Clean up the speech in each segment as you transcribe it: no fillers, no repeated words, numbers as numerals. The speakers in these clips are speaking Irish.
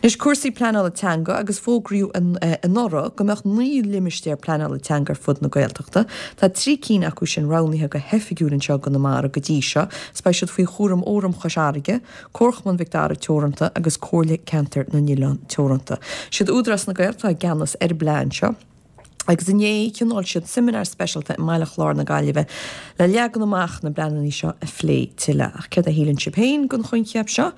Anois cúrsaí pleanála teanga agus fógraíodh anuraidh go mbeadh 9 limistéar pleanála teanga ar fud na Gaeltachta. Tá 3 cinn acu sin roghnaithe go hoifigiúil anseo i gConamara go dtí seo is beidh siad faoi chúram Fhóram Chois Fharraige, Comharchumann Mhic Dara Teoranta agus Comhairle Ceantair na nOileán Teoranta. Siad Údarás na Gaeltachta atá i gceannas ar an bplean seo. Agus inné, thionóil siad seimineár speisialta i mBaile Chláir na Gaillimhe le leagan amach na bpleananna seo a phlé tuilleadh. Ach céard a shíleann sibh féin den choincheap seo?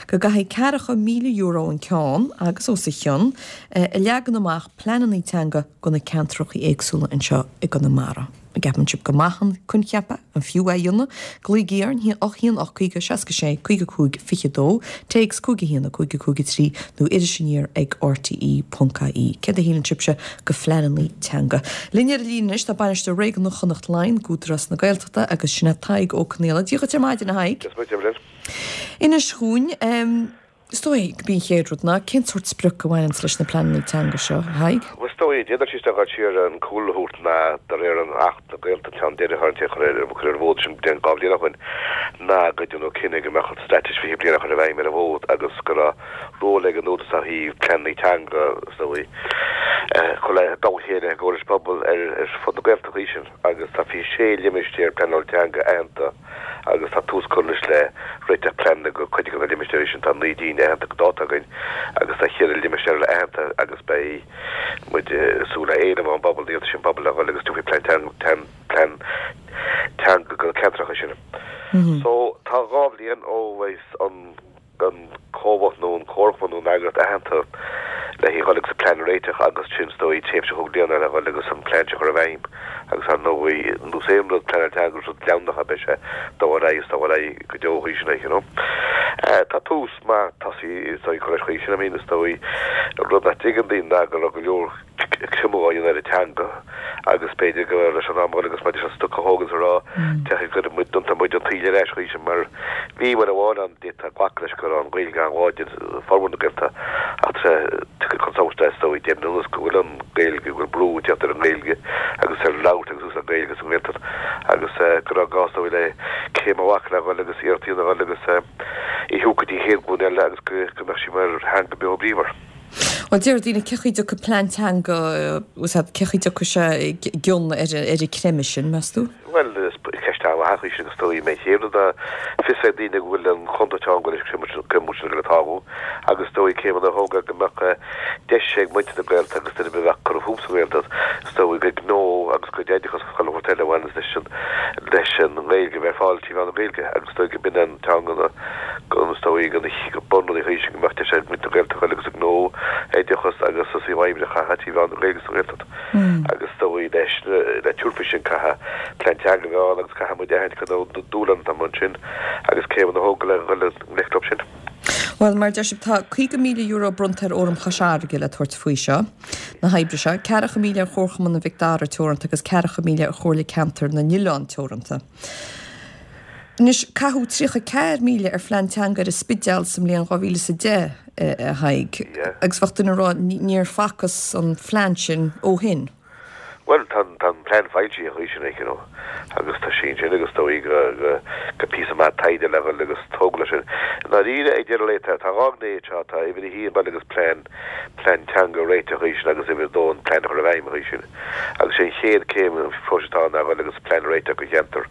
Go gcaithfí ceathracha €1,000 an ceann, agus os a chionn, a leagan amach pleananna teanga do na ceantracha éagsúla anseo i gConamara. An gceapann sibh gur maith an coincheap é? An fiú é a dhéanamh? Glaoigí orainn, 1 8 50 66 55 22, téacs 5 1 5 5 3 nó iris aniar ag rte ponc ie. Céard a shíleann sibhse de phleananna teanga? Linn ar an líne anois tá Bainisteoir Réigiúnach Chonnacht Laighean d'Údarás na Gaeltachta agus sin é Tadhg Ó Conaola. Dia dhuit ar maidin, a Thaidhg. Dia dhuit, Evelyn. Inis dhúinn, Is dóigh gurb í an chéad rud ná, cén sórt sprioc a bhaineanns leis na pleananna teanga seo, a Thaidhg? Bhuel, is dóigh, d'fhéadfadh sé isteach dul siar an cúlra a thabhairt ná de réir an Acht na Gaeltachta an ceann deiridh a cuireadh ar an bhfód sin bliain, 2 bhliain ó shin, ná go ndearnadh cinneadh go mbeadh an Straitéis 20 Bliain á chur i bhfeidhm ar an bhfód agus go raibh ról ag an Údarás ó thaobh pleananna teanga, is dóigh, a chur le dul a chéile i gcomhar leis an bpobal ar fud na Gaeltachta sin agus tá 26 limistéar pleanála teanga aitheanta. agus tá tús curtha anois le réiteach pleananna do chuid de na limistéirí sin. Tá 9 gcinn aitheanta go dáta againn agus tá cheithre limistéar eile aitheanta agus beidh muid ag súil le éileamh ón bpobal, iarratais ón bpobal le dhul agus tiocfaidh plean plean teanga do na ceantracha sin. So tá 2 bhliain ó bheas an an comhlacht nó an comharchumann nó an eagraíocht aitheanta le haghaidh dhul agus an plean a réiteach agus sin is dóigh tréimhse chúig bliana le dhul agus an plean seo a chur i bhfeidhm agus ar ndóigh nós aon rud pleanáil teanga is rud leanúnach é beidh sé dul ar aghaidh is dul ar aghaidh go deo chuige sin you know. Tá tús maith tosaithe is dóigh curtha leis chuige sin I mean is dóigh rud nach dtuigeann daoine ná go raibh go leor creimeadh á dhéanamh ar an teanga agus b'fhéidir go raibh leis an am a dhul agus maidir leis an stoc a thógáil is a rá tiocfaidh go muid déanfaidh muid an tsaoil ar ais chuige sin mar bhí uair amháin ann d'fhéadfá glacadh leis go raibh an Ghaeilge an-láidir i bhformhór na Gaeltachta ach tá sé chun solais is dóigh deich mbliana anuas go bhfuil an Ghaeilge go bhfuil brú ag teacht ar an nGaeilge agus ar labhairt agus úsáid Gaeilge sa nGaeltacht agus go raibh gá is dóigh le céim a ghlacadh le dhul agus iarracht a dhéanamh a dhul agus í a thabhairt go dtí an chéad ghlúin eile agus go mbeadh sí mar theanga beo bríomhar. Bhuel, deir daoine, cén chaoi a dtiocfaidh plean teanga, bhfuil a fhios agat, cén chaoi a dtiocfaidh sé i gcion ar an creimeadh sin, meas tú? Bhuel, is ceist an-mhaith í sin agus is dóigh mé chéad rud ná fios ag daoine go bhfuil an chontúirt ann go bhfuil an creimeadh sin ag tarlú agus is dóigh céimeanna a thógáil go mbeadh deis ag muintir na Gaeltachta agus duine ar bith a bheadh curtha fúthu sa Ghaeltacht, is dóigh, a gcuid gnó agus a gcuid oideachas agus chuile shórt eile a bhaineanns leis an leis an nGaeilge a bheith ar fáil trí mheán na Gaeilge agus is dóigh go b'in an teanga go is dóigh go bunrudaí chuige sin go mbeadh deis ag muintir na Gaeltachta dul agus a ngnó, oideachas agus a saol oibre a chaitheamh trí mheán na Gaeilge sa Ghaeltacht agus is dóigh leis le tabhairt faoi sin caithfidh plean teanga a bheith ann agus caithfidh muid a aithint cad é na dúshláin atá ansin agus céimeanna a thógáil le dhul i ngleic leo sin. Bhuel, mar a deir sibh, tá €50,000 bronnta ar Fhóram Chois Fharraige le tabhairt faoi seo, na hoibre seo, 40,000 ar Chomharchumann Mhic Dara Teoranta agus 40,000 ar Chomhairle Ceantair na nOileán Teoranta. Anois, caitheadh 34,000 ar phlean teanga ar an Spidéal sa mbliain 2010, a Thaidhg, agus bheadh duine ag rá níor facthas an phlean sin ó shin. Bhuel, tá an plean foilsithe chuige sin, you know, agus tá sé ansin agus is dóigh go píosa maith taighde le dhul agus tógáil leis sin. I ndáiríre, ag deireadh lae, tá dhá ghné anseo, tá uimhir a haon dul agus plean, plean teanga a réiteach chuige sin agus uimhir a dó an plean a chur i bhfeidhm chuige sin. Agus sé an chéad céim an phróisis atá ann ná dhul agus plean a réiteach do cheantar.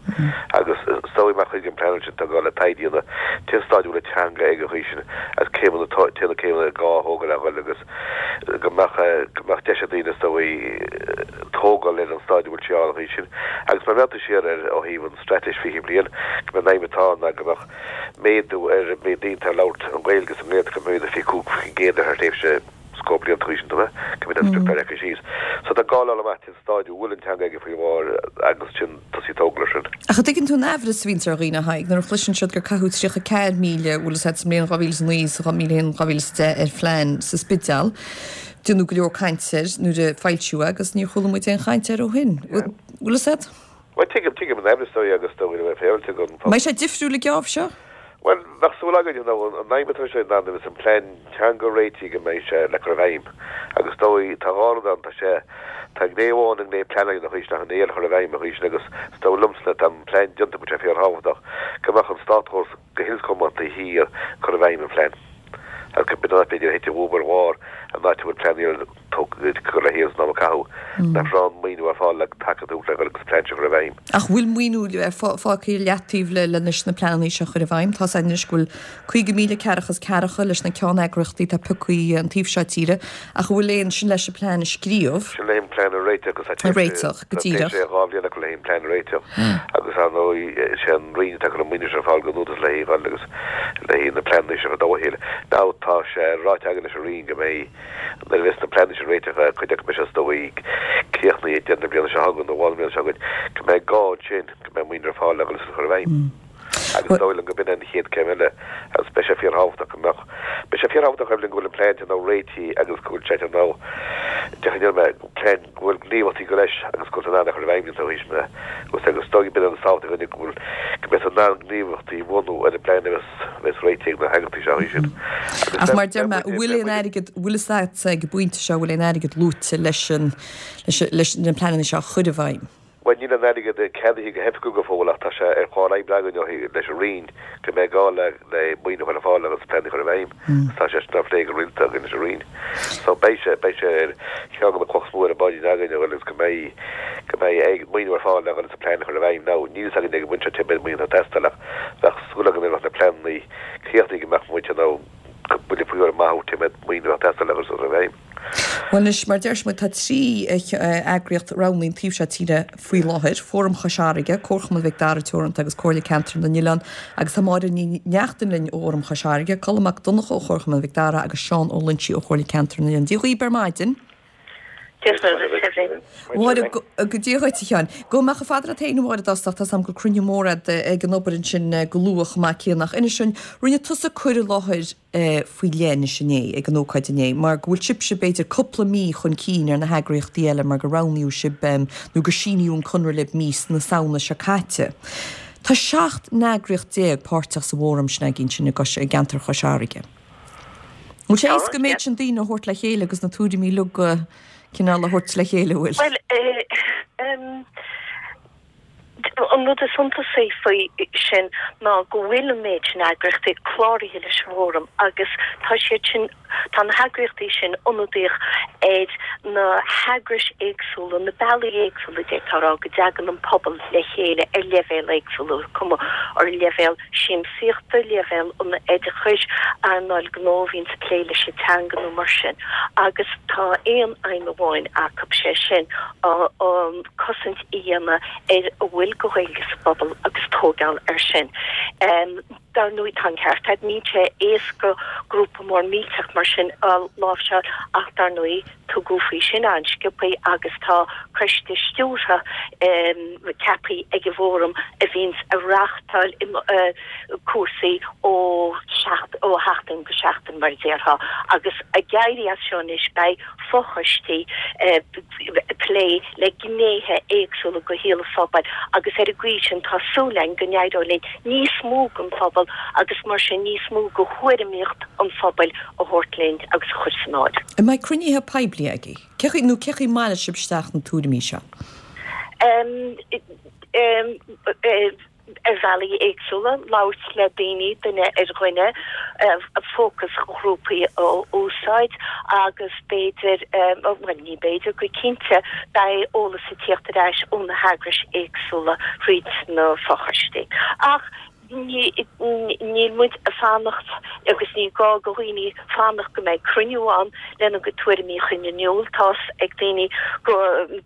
Agus is dóigh mar chuid den plean sin tá gá le taighde a dhéanamh cén staid a bhfuil an teanga ag an chaoi sin agus céimeanna cé na céimeanna is gá a thógáil le dhul agus go mbeadh go mbeadh deis ag daoine is dóigh tógáil ar an staid a bhfuil sí ann an chaoi sin. Agus má bhreathnaíonn tú siar ar ó thaobh an Straitéis 20 Bliain go mbeidh an aidhm atá ann ná go mbeadh méadú ar an méid daoine atá ag labhairt an Ghaeilge sa nGaeltacht go mbeidh 25% ar thréimhse scór blianta chuige sin, go mbeidh an sprioc leagtha síos. So tá gá le fháil amach cén stáid a bhfuil an teanga aige faoi láthair agus ansin tosaí ag tógáil ar sin. Ach an dtuigeann tú an aimhreas a bhíonns ar dhaoine, a Thaidhg, nuair a chloiseann siad gur caitheadh 34,000, bhfuil fhios a'd, sa mbliain 2009, sa 2010 ar phlean sa Spidéal. Deineadh go leor cainte air nuair a foilsíodh é agus níor chuala muid aon chaint air ó shin. Bhfuil fhios a'd? Bhuel, tuigim, tuigim an aimhreas dóigh agus dóigh le bheith féaráilte don phobal. Mbeidh sé difriúil an geábh seo? Bhuel, bheadh súil againn, you know, an aidhm atá sé ná nuair a bheas an plean teanga réitithe go mbeidh sé le cur i bhfeidhm. Agus dóigh, tá dhá rud ann, tá sé, tá gné amháin, an gné pleanála ina chuid sin ach an gné eile chur i bhfeidhm ina chuid sin agus is dóigh liomsa tá an plean déanta go bhfuil sé fíorthábhachtach go mbeadh an státchóras go huile is go hiomlán taobh thiar cur i bhfeidhm an phlean. Agus b'in an áit b'fhéidir a thit an bhuaib ar bharr, an áit a bhfuil pleananna eile tugtha le chéile san am a caitheadh, nach raibh an maoiniú ar fáil le taca a thabhairt le dhul agus an plean seo a chur i bhfeidhm. Ach bhfuil maoiniú fágtha i leataobh le leis na pleananna seo a chur i bhfeidhm? Tá's againn anois go bhfuil 50,000 ceathracha is ceathracha leis na ceanneagraíochtaí atá pioctha an taobh seo tíre, ach an bhfuil aon, sin leis an plean a scríobh? Sin le an plean a réiteach agus tá a réiteach, go díreach. Tá sé 2 bhliain acu le an plean a réiteach agus ar ndóigh is é an Roinn atá ag cur an maoiniú sin ar fáil don Údarás le haghaidh dhul agus le haghaidh na pleananna seo a chur dá chéile. Now tá sé ráite againn leis an Roinn go mbeidh Nuair a bheas na pleananna sin réitithe, cuid acu beidh sé is dóigh críochnaithe ag deireadh na bliana seo chugainn nó mhall na bliana seo chugainn, go mbeidh gá ansin go mbeidh maoiniú ar fáil le dhul is a chur i bhfeidhm. Agus is dóigh liom go b'in an chéad céim eile agus beidh sé fíorthábhachtach go mbeadh, beidh sé fíorthábhachtach Evelyn go bhfuil an plean sin now réitithe agus go bhfuil sé sin now, déarfainn ar mé, plean go bhfuil gníomhaíochtaí go leis agus go bhfuil in ann a chur i bhfeidhm iontu théis na agus agus is dóigh b'in an tábhacht againne go bhfuil go mbeidh in ann gníomhaíochtaí a bhunú ar an bplean a bheas bheas réitithe ag na heagraíochtaí seo théis sin. Ach mar deir mé, bhfuil aon airgead, bhfuil fhios agatsa ag an bpointe seo, bhfuil aon airgead luaite leis an leis na pleananna seo a chur i bhfeidhm? Bhuel, níl an airgead ceadaithe go hoifigiúil go fóill ach tá sé ar chlár oibre againn ó thaobh leis an Roinn go mbeidh gá le le maoiniú a chur ar fáil agus plean a chur i bhfeidhm agus tá sé sin á phlé go rialta againn leis an Roinn. So beidh sé, beidh sé ar cheann de na clocha is mó ar an bpaidrín againn a dhul agus go mbeidh, go mbeidh maoiniú ar fáil le dhul agus an plean a chur i bhfeidhm. Now, níl fhios againn ag an bpointe seo cé mhéad maoiniú atá ag teastáil ach bheadh súil againn nuair a bheadh na pleananna críochnaithe go mbeadh muid in ann buille faoi thuairim maith a thabhairt cé mhéad maoiniú atá ag teastáil le dhul is a chur i bhfeidhm. Bhuel anois, mar deir muid, tá 3 eagraíocht roghnaithe an taobh seo tíre faoi láthair, Fóram Chois Fharraige, Comharchumann Mhic Dara Teoranta agus Comhairle Ceantair na nOileán agus tá Máire Ní Neachtain linn ó Fhóram Chois Fharraige, Colm Mac Donncha ó Chomharchumann Mhic Dara agus Seán Ó Loinsigh ó Chomhairle Ceantair na nOileán. Dia dhaoibh ar maidin. Dia duit, Evelyn. Mháire, Dia dhuit, a Sheáin. Gabhfaidh mé chomh fada leat féin, a Mháire, i dtosach. Tá's agam go bhfuil cruinniú mór agat ag an obair ansin go luath chomh maith céanna. Ach inis dúinn, rinne tusa cur i láthair faoi leith anois inné, ag an ócáid inné, mar go bhfuil sibhse b'fhéidir cúpla mí chun cinn ar na heagraíochtaí eile mar gur roghnaíodh sibh nó gur síníodh an conradh libh mí na Samhna seo caite. Tá 17 n-eagraíocht páirteach sa bhfóram sin againn sin i gceantar Chois Fharraige. Bhfuil sé éasca an méid sin daoine a thabhairt le chéile agus na tuairimí uilig a cineál a thabhairt le chéile, bhfuil? Bhuel, an rud is suntasaí faoi sin ná go bhfuil an méid sin eagraíochtaí cláraithe leis an bhFóram agus tá siad sin, tá na heagraíochtaí sin ionadaíoch ar na heagrais éagsúla, na bealaí éagsúla, d'fhéadfá a rá, go dtagann an pobal le chéile ar leibhéal éagsúla, cuma ar leibhéal siamsaíochta, leibhéal an oideachais, earnáil gnó a bhíonns ag plé leis an teanga nó mar sin agus tá aon aidhm amháin acu, sé sin an cosaint a dhéanamh ar a bhfuil de Ghaeilge sa bpobal agus tóigeáil air sin. Dar ndóigh tá an ceart agat, níl sé éasca grúpa mór millteach mar sin a láimhseáil ach dar ndóigh tugadh faoi sin an-sciobthaí agus tá coiste stiúrtha ceaptha ag an bhFóram a bhíonns ag reáchtáil cúrsaí ó sheachtain go seachtain mar a déarfá agus ag éirí as seo anois beidh fochoistí ag plé le gnéithe éagsúla de shaol an phobail agus ar an gcaoi sin tá súil againn go n-éireoidh linn níos mó den phobal agus mar sin níos mó de thuairimíocht an phobail a thabhairt linn agus a chur san áireamh. An mbeidh cruinnithe poiblí agaibh? Cé chaoi, nó cé chaoi a mbaileoidh sibh isteach na tuairimí seo? Ar bhealaí éagsúla, labhairt le daoine, duine ar dhuine, fócasghrúpaí a úsáid agus b'fhéidir, bhuel ní b'fhéidir, go cinnte beidh eolas ag tíocht ar ais ó na heagrais éagsúla thríd na fochoistí. Ach Níl muid ag fanacht agus ní gá do dhaoine fanacht go mbeidh cruinniú ann lena gcuid tuairimí a chur in iúl. Tá's ag daoine go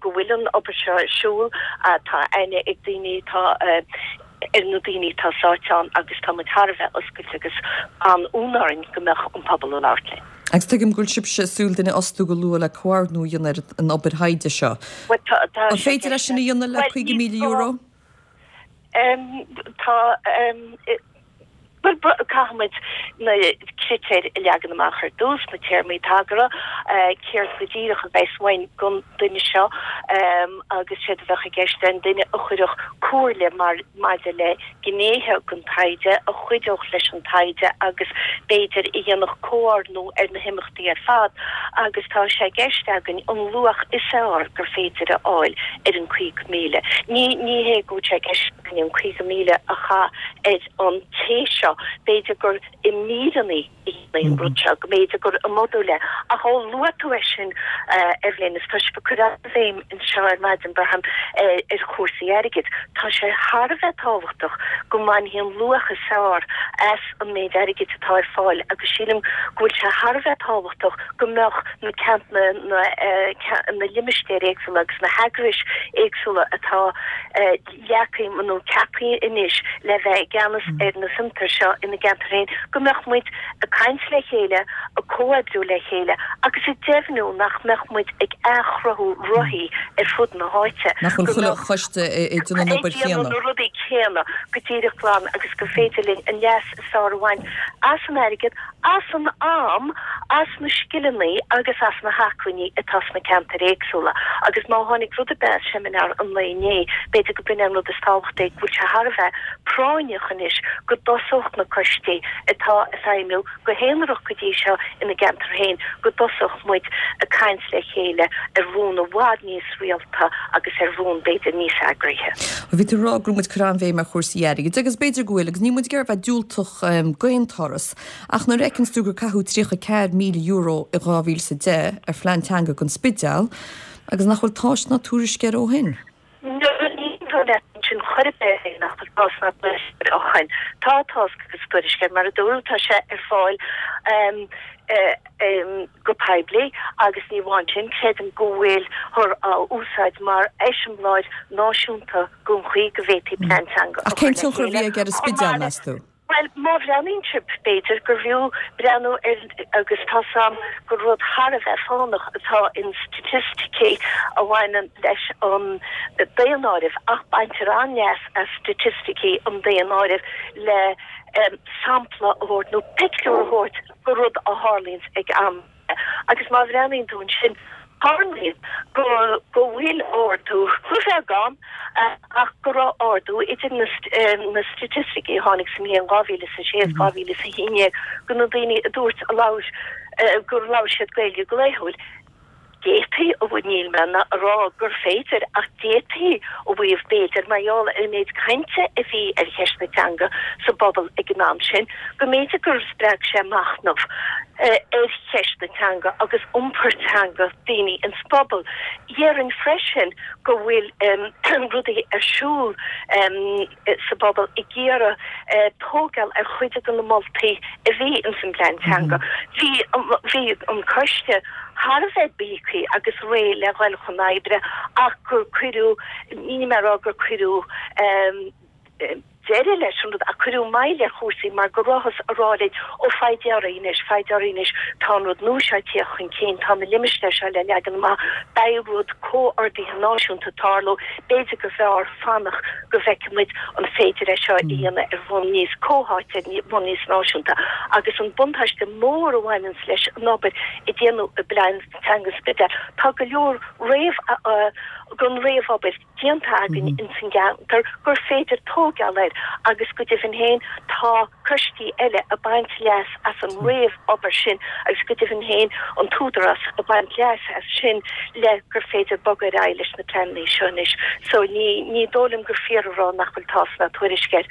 bhfuil an obair seo ar siúl, tá aithne ag daoine atá ar na daoine atá sáite ann agus tá muid thar a bheith oscailte agus an-fhonn orainn go mbeadh an pobal ag labhairt linn. Agus tuigim go bhfuil sibhse ag súil duine a fhostú go luath le comhordnú a dhéanamh ar an obair thaighde seo. An féidir é sin a dhéanamh le €50,000? Tá, bhuel, caithfimid na critéir a leagan amach ar dtús, na téarmaí tagartha, céard go díreach a bheas uainn don duine seo agus séard a bheadh i gceist an duine a chuirfeadh comhairle mar maidir le gnéithe den taighde, a chuideodh leis an taighde agus b'fhéidir a dhéanfadh comhordnú ar na himeachtaí ar fad agus tá sé i gceist againn an luach is fearr gur féidir a fháil ar an 50,000. Ní, ní hé go bhfuil sé i gceist againn an 50,000 a chaitheamh ar an té seo. seo, b'fhéidir gur i míreanna a dhéanfaí an rud seo, go mb'fhéidir gur i modúil é. Ach ó luaigh tú é sin, a Eibhlín, is tá sibh ag cur an-bhéim anseo ar maidin, braithim, ar chúrsaí airgid. Tá sé thar a bheith tábhachtach go mbainfí an luach is fearr as an méid airgid atá ar fáil agus sílim go bhfuil sé thar a bheith tábhachtach go mbeadh na na na limistéir éagsúla agus na heagrais éagsúla atá leagtha nó ceaptha anois le bheith i gceannas ar na fiontair seo ina gceantar féin, go mbeadh muid ag caint le chéile, ag comhoibriú le chéile agus ag deimhniú nach mbeadh muid ag athchruthú rothaí ar fud na háite, Nach bhfuil chuile choiste ag déanamh an obair chéanna. Ag déanamh na rudaí céanna go díreach glan agus gur féidir linn an leas is fearr a bhaint as an airgead, as an am, as na scileanna agus as na hacmhainní atá sna ceantair éagsúla. Agus má tháinig rud ar bith as seimineár an lae inné, b'fhéidir go b'in é an rud is tábhachtaí, go bhfuil sé thar a bheith práinneach anois go dtosódh na coistí atá ag feidhmiú go haonarach go dtí seo ina gceantar féin, go dtosódh muid ag caint le chéile ar bhonn i bhfad níos rialta agus ar bhonn b'fhéidir níos eagraithe. Bhí tú ag rá go raibh muid ag cur an-bhéim ar chúrsaí airgid agus b'fhéidir go bhfuil agus níl muid ag iarraidh a bheith diúltach d'aon turas ach nuair a fheiceanns tú gur caitheadh €34,000 i 2010 ar phlean teanga don Spidéal agus nach bhfuil tásc ná tuairisc air ó shin. Ní aontóinn leat ansin chor ar bith nach bhfuil tásc ná tuairisc air ó shin. Tá tásc agus tuairisc air, mar a dúradh, tá sé ar fáil go poiblí agus ní amháin sin, creidim go bhfuilthear á úsáid mar eiseamláir náisiúnta don chaoi go bhféadfaí plean teanga a Ach cén chur le tionchar a bhí chéile. aige ar an Chomh Spidéal, maith le. meas tú? Bhuel, má bhreathnaíonn sibh, b'fhéidir gur bhfiú breathnú ar, agus tá's a'm gur rud thar a bheith fánach atá in staitisticí a bhaineann leis an daonáireamh, ach baintear an-leas as staitisticí an daonáirimh le sampla a thabhairt nó pictiúr a thabhairt de rud a tharlaíonns ag am. Agus má bhreathnaíonn tú ansin, tarlaíonn go go bhfuil ardú, beagán, ach go raibh ardú idir na na staitisticí a tháinig sa mbliain 2006 is 2011 go na daoine a dúirt a labhair gur labhair siad Gaeilge go laethúil. D'fhéadfaí a mhaíomh, níl mé ag rá gur féidir, ach d'fhéadfaí a mhaíomh b'fhéidir, mar gheall ar an méid cainte a bhí ar cheist na teanga sa bpobal ag an am sin, go mb'fhéidir gur spreag sé machnamh ar cheist na teanga agus iompar teanga daoine ins an bpobal. Dhéarfainn freisin go bhfuil rudaí ar siúl sa bpobal ag iarraidh tógáil ar chuid de na moltaí a bhí ins an bplean teanga. Bhí bhí an coiste thar a bheith bíogtha agus réidh le dhul chun oibre ach gur cuireadh, níl mé ag rá gur cuireadh, deireadh leis an rud ach cuireadh moill ar chúrsaí mar go rabhthas ag rá linn, ó foighid oraibh anois, foighid oraibh anois, tá an rud nua seo ag tíocht chun cinn, tá na limistéir seo le leagan amach, beidh rud comhordaithe náisiúnta ag tarlú, b'fhéidir go mb'fhearr fanacht go bhfeicfidh muid an féidir é seo a dhéanamh ar bhonn níos comhtháite, ar bhonn níos náisiúnta. Agus an buntáiste mór a bhaineanns leis an obair a déanadh i bPlean Teanga an Spidéil, tá go leor réamh, den réamhobair, déanta againn ins an gceantar gur féidir tóigeáil air agus go deimhin féin tá coistí eile ag baint leas as an réamh-obair sin agus go deimhin féin an tÚdarás ag baint leas as sin le gur féidir bogadh ar aghaidh leis na pleananna seo anois. So ní ní dóigh liom gur fíor a rá nach bhfuil tásc ná tuairisc air.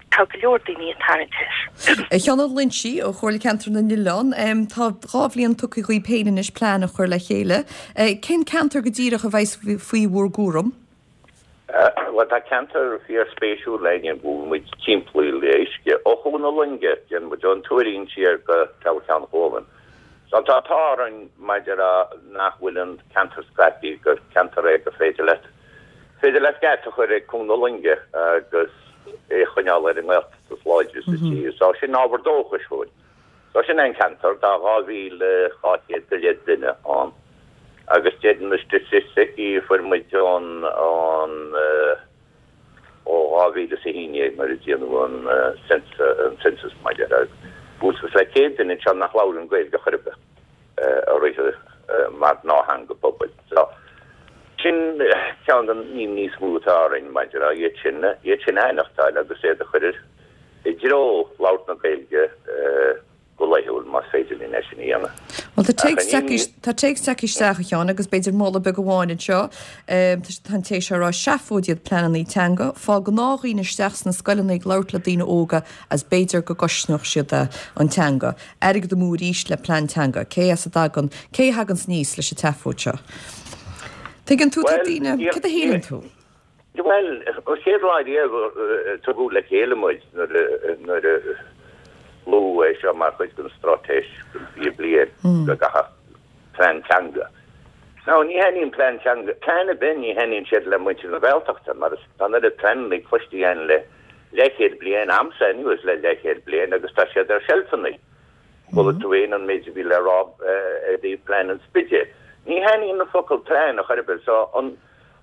Tá go leor daoine ag tarraingt air. A Sheáin Uí Loingsigh ó Chomhairle Ceantar na nOileán, tá 2 bhliain tugtha dhaoibh féin anois plean a chur le chéile. Cén ceantar go díreach a bheas faoi bhur gcúram? Bhuel, tá ceantar fíorspéisiúil againn go bhfuil muid timpeallaithe le uisce. Ó Chuan na Loinge, déanann muid ón Tuairín siar go Teamhair Cheann Chualann. So tá an t-ádh orainn maidir le nach bhfuil an ceantar scaipthe, gur ceantar é gur féidir leat féidir leat geata a chur ag Cuan na Loinge agus é a choinneáil ar an nGaeltacht is láidre sa tír. So sin ábhar dóchais dhúinn. So sin é an ceantar, tá 2,200 go leith duine ann agus deir na staitisticí a fuair muid ón ón ó 2011 nuair a déanadh an an census maidir le buailte le 100 duine anseo nach labhraíonn Gaeilge chor ar bith. a rith mar ghnáth-theanga pobail. So, sin ceann den imní is mó atá orainn maidir le iad sin, iad sin a aithneachtáil agus iad a chur i dtreo labhairt na Gaeilge go laethúil. laethúil más féidir linn é sin a dhéanamh. Bhuel, tá téacs tagtha, tá téacs tagtha isteach, a Sheáin, agus b'fhéidir moladh beag amháin anseo. Tá an té seo ag rá, seafóid iad pleanannaí teanga. Fág gnáthdhaoine isteach sna scoileanna ag labhairt le daoine óga as b'fhéidir go gcosnódh siad an teanga. Airgead amú arís le plean teanga. Cé as a dtagann, cé a thaganns aníos leis an tseafóid seo? Tuigeann tú, tá daoine, céard a shíleann tú? Bhuel, an chéad lá riamh a tugadh le chéile muid nuair a luadh é seo mar chuid den straitéis don 20 bliain go gcaithfeadh plean teanga. Now, ní thaitníonn plean teanga, plean ar bith, ní thaitníonn siad le muintir na Gaeltachta mar tá an oiread pleananna cloiste againn le leathchéad bliain, a'msa anuas le leathchéad bliain agus tá siad ar seilfeanna. Chuala tú féin an méid a bhí le rá i dtaobh plean an Spidéil. Ní thaitníonn an focal plean a chor ar bith so an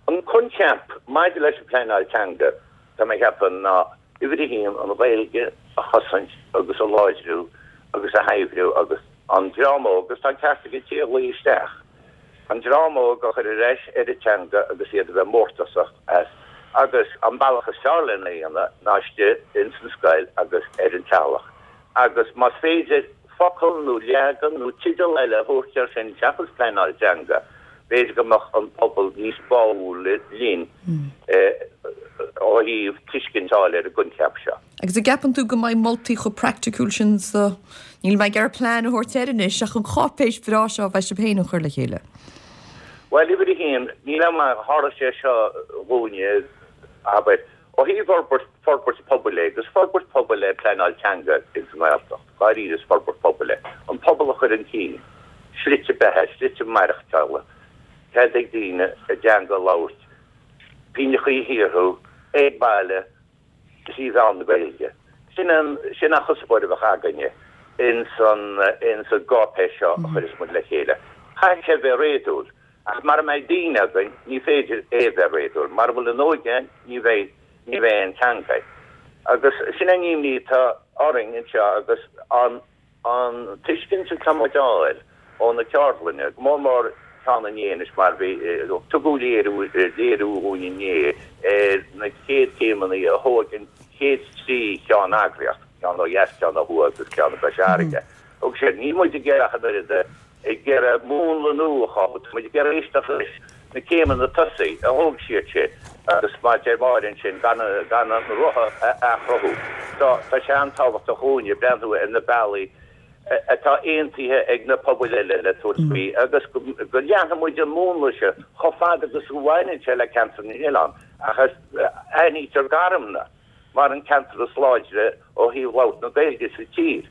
An coincheap maidir leis an phleanáil teanga, tá mé ag ceapadh, ná uimhir a haon, an Ghaeilge a chosaint agus a láidriú agus a shaibhriú agus an dream óg, agus tá an ceart ag an té a ghlaoigh isteach, an dream óg a chur ar ais ar an teanga agus iad a bheith mórtasach as agus an bealach is fearr lena dhéanamh ná istigh ins an scoil agus ar an teaghlach agus más féidir focal nó leagan nó teideal eile a thabhairt air sin seachas pleanáil teanga, B'fhéidir go mbeadh an pobal níos báúla linn ó thaobh tuiscint a fháil ar an gcoincheap seo. Agus an gceapann tú go mbeidh moltaí chomh praiticiúil sin sa, níl mé ag iarraidh plean a thabhairt air anois, ach an cháipéis bhreá seo a bheidh sibh féin a chur le chéile? Bhuel, uimhir a haon, níl am, tharla sé seo dhúinne, abair, Ó thaobh fhorbairt, forbairt pobail é, agus forbairt pobail é pleanáil teanga ins an nGaeltacht, dáiríre is forbairt pobail é. An pobal a chur chun cinn, slite beatha, slite maireachtála, cead ag daoine a dteanga a labhairt, pingneachaí a shaothrú, ag baile, trí mheán na Gaeilge. Sin an, sin an chuspóir a bheadh againne ins an, ins an gcáipéis seo a chuirfeas muid le chéile. Caithfidh sé bheith réadúil. Ach mara mbeidh daoine againn, ní féidir é a bheith réadúil. Mara bhfuil an óige ann, ní bheidh, ní bheidh an teanga. Agus sin an imní atá orainn anseo agus an, an tuiscint atá muid a fháil ó na ceardlanna, go mór mór ceann inné anois mar bhí, tugadh léiriú, léiriú dhúinn inné ar na chéad chéimeanna a thóg an chéad trí cheanneagraíocht, ceann ó dheas, ceann ó thuaidh agus ceann i gCois Fharraige. Thug siad, níl muid ag iarraidh ach an oiread a ag iarraidh múnla nua a chothú. Tá muid ag iarraidh éisteacht leis na céimeanna tosaigh a thóg siad sin agus mar a deir Máire ansin, gan gan an roth a athchruthú. So, tá sé an-tábhachtach dhúinne breathnú ar na bealaí atá aontaithe ag na pobail eile le tabhairt faoi agus go leanfaidh muid an múnla seo chomh fada agus a bhaineann sé le Ceantar na nOileán ach aithnítear Garmna. mar an ceantar is láidre ó thaobh labhairt na Gaeilge sa tír.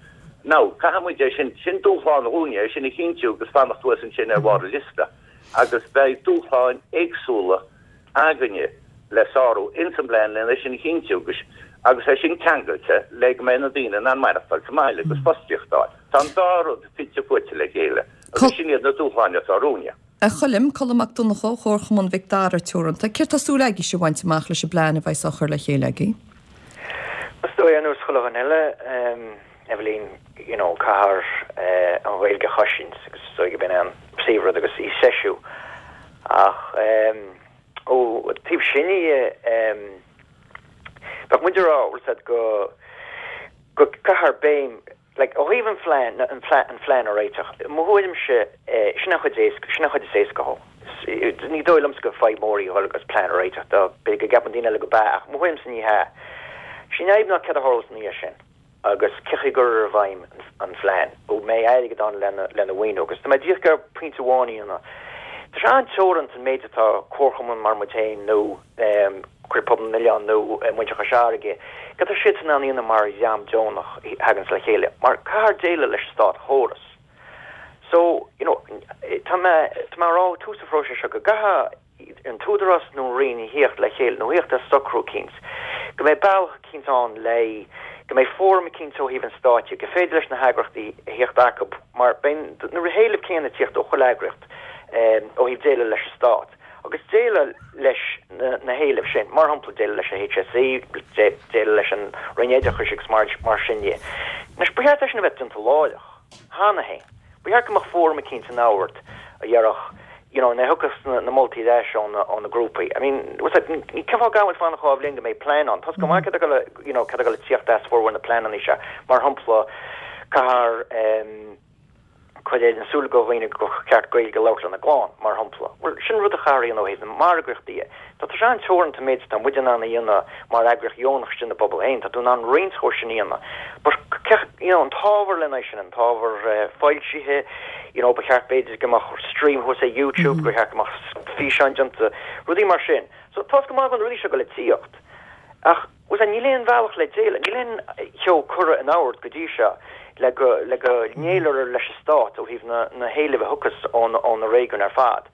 Now, caithfidh muid é sin, sin dúshlán dhúinne, é sin a chinntiú agus fanacht thuas ansin ar bharr an liosta. Agus beidh dúshláin éagsúla againne le sárú ins an bplean lena sin a chinntiú agus agus é sin ceangailte le go mbeidh na daoine in ann maireachtáil sa mbaile agus fostaíocht a fháil. Tá an dá rud fite fuaite le chéile agus sin iad na dúshláin atá romhainne. A Choilm, Colm Mac Donncha ó Chomharchumann Mhic Dara Teoranta, céard tá súil agaibhse a bhaint amach leis an bplean a bheas á chur le chéile agaibh? Is dóigh, ar nós chuile dhuine eile, Eibhlín, you know, caithfear an Ghaeilge a chosaint agus is dóigh gurb in é an príomhrud agus í a threisiú. Ach ó taobh sin dhe, bheadh muid ag rá, bhfuil a fhios agat, go go gcaithfear béim Like, ó thaobh an phlean, an phlean, an phlean a réiteach, i mo thuairimse, sin an chuid éasca, sin an chuid is éasca dhó. Ní dóigh liomsa gur fadhb mór í a dhul agus plean a réiteach dó, b'fhéidir go gceapann daoine eile go b'ea, ach i mo thuairimse ní hea. Is í an fhadhb ná céard a tharlós ina dhiaidh sin agus cé chaoi a gcuirfear i bhfeidhm an phlean, an mbeidh airgead ann lena, lena mhaoiniú agus tá mé díreach ag iarraidh pointe amháin a dhéanamh. Tá sé an-teoranta an méid atá comharchumann mar muid féin nó, Craobh Pobal na nOileán nó Muintir Chois Fharraige, cad tá siadsan in ann a dhéanamh mar dhream deonach a thaganns le chéile? Mar caithfear déileáil leis an státchóras. So, you know, tá mé, tá mé ag rá ó tús an phróisis seo go gcaithfidh an tÚdarás nó an Roinn a thíocht le chéile nó a thíocht ar socrú eicínt, go mbeidh bealach eicínt ann le, go mbeidh fóram eicínt ó thaobh an stáit de, gur féidir leis na heagraíochtaí a thíocht acu mar beidh na héilimh céanna ag tíocht ó chuile eagraíocht ó thaobh déileáil leis an stát. agus déileáil leis na héilimh sin, mar shampla déileáil leis an HSE, déileáil leis an Roinn Oideachais agus mar sin de. Anois, ba cheart é sin a bheith déanta láithreach, cheana féin. Ba cheart go mbeadh fóram eicínt in ann a dhéarfadh, you know, nuair a thiocfas na moltaí ar ais ó na grúpaí. I mean, what's that, cén fáth go bhfuil fanacht 2 bhliain go mbeidh plean ann? Tá 's go maith céard atá ag dul, you know, céard atá ag dul a tíocht as formhór na pleananna seo, mar shampla. Caithfear cur in iúl do dhaoine gur cheart Gaeilge a labhairt lena gclann, mar shampla. Bhuel, sin rud a chaithfear a dhéanamh ó thaobh na margaíochta dhe. Tá sé an-teoranta an méid atá muid in ann a dhéanamh mar eagraíocht dheonach istigh ina bpobal féin. Tá tú in ann roinnt dhó sin a dhéanamh. But, you know, an t-ábhar lena aghaidh sin, an t-ábhar foilsithe, you know, ba cheart b'fhéidir go mbeadh stream thuas ar YouTube, gur cheart go mbeadh físeáin déanta, rudaí mar sin. So, tá's go maith go na rudaí seo go le tíocht. Ach, bhuel, níl aon bhealach le déileáil, níl aon cheo curtha in ord go dtí seo le go, le go ndéileálfar leis an stát ó thaobh na, na héilimh a thiocfas ó na, ó na réigiúin ar fad.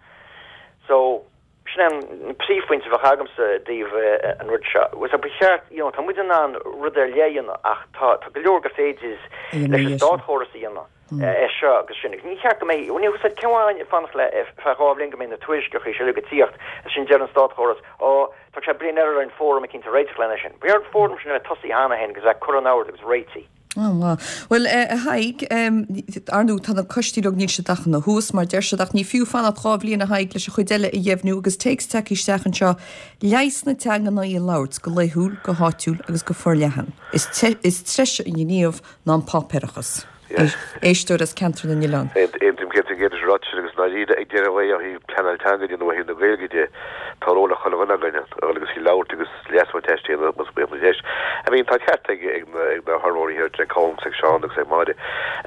So, sin é an príomhphointe a bheadh agamsa i dtaobh an rud seo. Bhuel, ba cheart, you know, tá muid in ann rud ar leith a dhéanamh ach tá, tá go leor gur féidir leis an státchóras a dhéanamh é seo agus sin. Agus ní cheart go mbeidh, bhuel, níl cén fáth fanacht le feadh 2 bhliain go mbeidh na tuairisceacha seo uilig ag tíocht is ansin deir an státchóras, ó, Tá sé bliain eile ar an fóram eicínt a réiteach lena sin. Ba cheart an fóram sin a bheith tosaithe cheana féin agus a bheith curtha in ord agus réitithe. Á, maith. Bhuel, a Thaidhg, ar ndóigh, tá na coistí uilig, níl siad ach ina thús, mar deir siad, ach ní fiú fanacht 2 bhliain, a Thaidhg, leis an chuid eile a dheimhniú agus téacs tagtha isteach anseo, leigheas na teangan ná í a labhairt go laethúil, go háitiúil agus go forleathan. Is treise an gníomh ná an páipéarachas. Éisteoir as Ceantar na nOileán. Aontaím 100% leis an ráiteas sin agus i ndáiríre ag deireadh an lae ó thaobh pleanáil teanga de nó ó thaobh na Gaeilge de, tá ról ag chuile dhuine againn a dhul agus í labhairt agus leas a bhaint aisti más baol na deis. I mean tá ceart ag ag na hurraitheoirí thiar, ag Colm agus ag Seán agus ag Máire.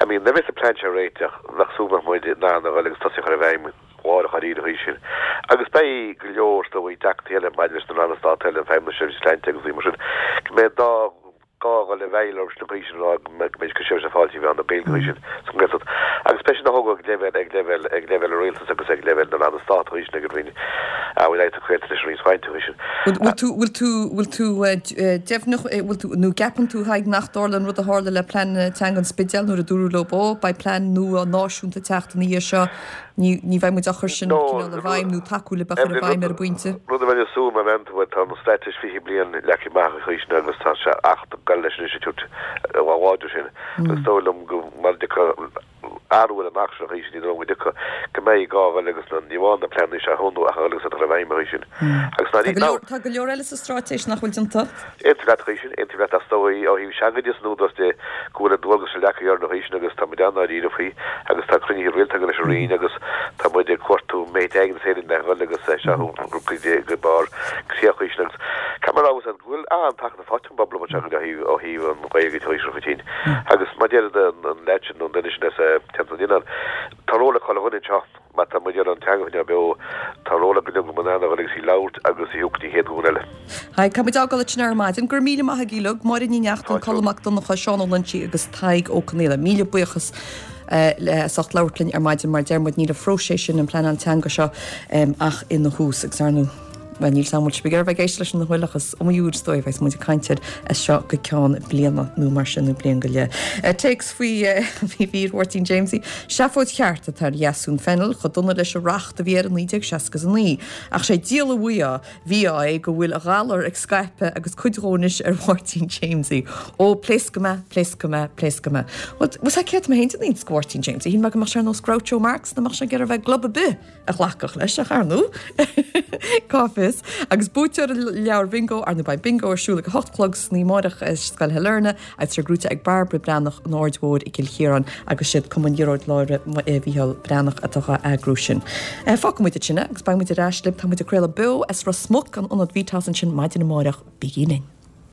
I mean nuair a bheas an plean seo réiteach, bheadh súil go mbeadh muid in ann a dhul agus tosaí a chur i bhfeidhm láithreach dáiríre an chaoi sin. Agus beidh go leor is dóigh deacrachtaí eile maidir leis na ranna stáit eile, an Feidhmeannas Seirbhíse Sláinte agus rudaí mar sin, go mbeidh dá gá a dhul i bhfeighil orthu sin an chaoi sin a rá go mbeidh go seirbhís ar fáil trí mheán na Gaeilge an chaoi sin sa nGaeltacht. Agus beidh sin á thógáil ag leibhéal ag leibhéal ag leibhéal an rialtais agus ag leibhéal na ranna stáit an chaoi sin ag an Roinn a bhfuil aghaidh Gaeltacht leis an Roinn Sláinte an chaoi sin. Bhfuil tú bhfuil tú bhfuil tú deimhneach bhfuil tú nó gceapann tú Thaidhg nach dtarlóidh an rud a tharla le plean teanga an Spidéil nuair a dúradh leo ó beidh plean nua náisiúnta ag teacht ina dhiaidh seo Ní, ní bheidh muid á chur sin cineál i bhfeidhm nó tacú le bheith chur i bhfeidhm ar an bpointe. Rud a bheinn ag súil mar bhean tú, tá an straitéis 20 bliain leagtha amach an chaoi sin agus tá sé acht ag dul leis anois ag tabhairt chomh láidir sin. Agus is dóigh liom go mar a dtiocfaidh athrú ar an acht sin an chaoi sin, ní dóigh liom go dtiocfaidh, go mbeidh gá a dhul agus na, ní amháin na pleananna seo a thomhnú ach a dhul agus iad a chur i bhfeidhm an chaoi sin. Agus ná ní, ná. Tá go leor eile sa straitéis nach bhfuil déanta. Aontaím leat an chaoi sin, aontaím leat ach is dóigh ó thaobh teanga de is an Údarás de go bhfuil an dualgas sin leagtha orainn an chaoi sin agus tá muid an-dáiríre faoi agus tá cruinnithe rialta againn leis an Roinn agus tá muid ag cuartú an méid airgid is féidir linn a dhul agus é seo a thabhairt go barr críoch an chaoi sin agus caithfidh mé a rá go bhfuil an-tacaíocht faighte ón bpobal anseo ó thaobh ó thaobh an Ghaeilge de an chaoi sin agus mar a deir an leaid sin nó an duine sin as Ceantar na nOileán tá ról ag chuile dhuine anseo. Má tá muid ag iarraidh an teanga a choinneáil beo, tá ról ag go leor againn a dhul agus í labhairt agus í a thabhairt go dtí an chéad ghlúin eile. Hi, Tá muid ag fágáil ansin ar maidin. Go raibh míle maith agaibh uilig, Máire Ní Neachtain, Colm Mac Donncha, Seán Ó Loinsigh agus Tadhg Ó Conghaile. Míle buíochas as ucht labhairt linn ar maidin. Mar a deir muid, níl an phróiseas sin, an pleanáil teanga seo ach ina thús agus ar ndóigh, Bhuel, níl 's agam an bhfuil sibh ag iarraidh bheith ag éisteacht leis an bhfuil ach is iomaí uair is dóigh a bheas muid ag caint air as seo go ceann bliana nó mar sin nó bliain go leith. Téacs faoi mhír Mháirtín Jamesie. Seafóid cheart atá ar Dheasún Fennell, chomh dona leis an racht a bhí air i 1969. Ach sé díol an mhí-ádh mhí-ádh é go bhfuil a ghalar ag scaipeadh agus cuid dhó anois ar Mháirtín Jamesie. Ó, pléascfaidh mé, pléascfaidh mé, pléascfaidh mé. Bhuel, bhfuil 's agat céard tá mé féin den iontas go Mháirtín Jamesie. Shíl mé go mbeadh sé ar nós Groucho Marx, nach mbeadh sé ag iarraidh bheith gclub ar bith. a ghlacfadh leis, ach ar ndóigh, cá bhfios. Agus buaiteoir an leabhair bhingo, ar ndóigh beidh bingo ar siúl ag a hocht a chlog san oíche amárach i Scoil Shailearna agus tá sé gnóthaithe ag Bairbre Breathnach an Aird Mhóir i gCill Chiaráin agus siad Cumann Ghearóid Lára Mhícheál Breathnach atá á eagrú sin. Fágfaidh muid ansin é agus beidh muid ar ais libh, tá muid ag craoladh beo as Ros Muc, an Ionad Vitas ansin maidin amárach, bígí linn.